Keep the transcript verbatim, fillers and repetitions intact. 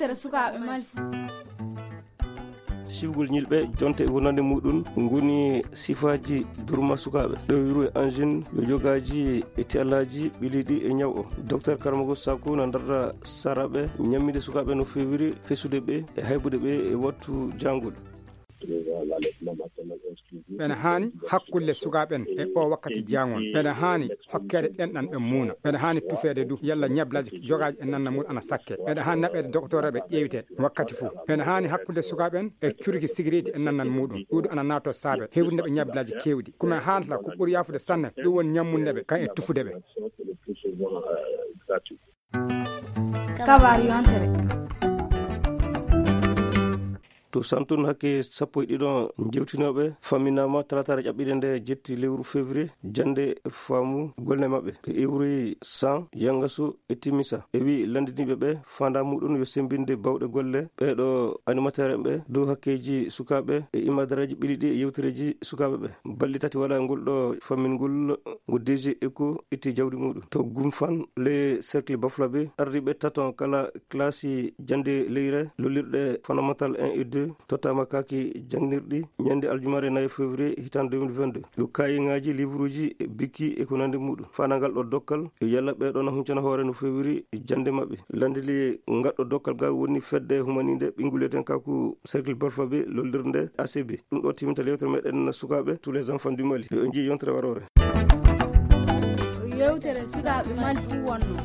Tere sukaaɓe mali. Siwgol ñilɓe, jonte e wonande muɗum ngoni sifaaji durma sukaaɓe. Ɗo wiru e angine yo jogaaji e tiyallaaji ɓiliiɗi e ñaw o. Docteur Karmago Saku na ndarda saraɓe ñamminde sukaaɓe no feewiri fesude ɓe e haybude ɓe e wattu jaangol. Ɓena haani hakkunde sukaaɓe en e o wakkati jaangol. Ɓena haani hokkeede ɗenɗan ɓe muuna. Ɓena haani tufeede du yalla ñablaaji jogaaji e nannal mum ana sakke. Ɓena haani naɓeede doktoreeɓe ƴeewte wakkati fof. Ɓena haani hakkunde sukaaɓe en e curki sigiriiti e nannal muɗum. Ɗuuɗu ana naato saabe hewrinde ɓe ñablaaji keewɗi. Kuma haanta ko ɓuri yaafude sanne ɗum woni ñammunde ɓe kan e tufude ɓe. Kabaar yontere. To Santun hakke sappo e ɗiɗo jewtinooɓe famminaama talaataare ƴaɓɓiɗe nde jetti lewru février, jannde faamu golle maɓɓe. Ɓe iwri San, Yangasu e Timisa. E wi lanndiniiɓe ɓe, faandaa muɗum yo semmbinde bawɗe golle ɓeeɗo animateur en ɓe dow hakkeeji sukaaɓe e imaadareeji ɓiliɗi e yewtereeji sukaaɓe ɓe. Balɗe tati wala ngol ɗo fammingol ngo D G Eco itti jawdi muɗum. To Gumfan, le cercle Baflabe, ardiiɓe taton kala classe jannde leyre, lollirɗe fondamental un et deux, tottaama kaaki jannginirɗi ñande aljumaare nayi février hitaan deux mille vingt-deux. Yo kaayingaaji, livruuji, bikki e ko nanndi muɗum. Faanangal ɗo dokkal, yo yalla ɓeeɗo na huncana hoore no feewiri jannde maɓɓe. Lanndili ngaɗɗo dokkal gal woni fedde humaninde ɓinnguleten kaku cercle Balfabe lollirnde A C B. Ɗum ɗo timinta yewtere meɗen sukaaɓe tous les enfants du Mali. Yo en njii yontere waroore. Yewtere sukaaɓe Mali fuu wonno.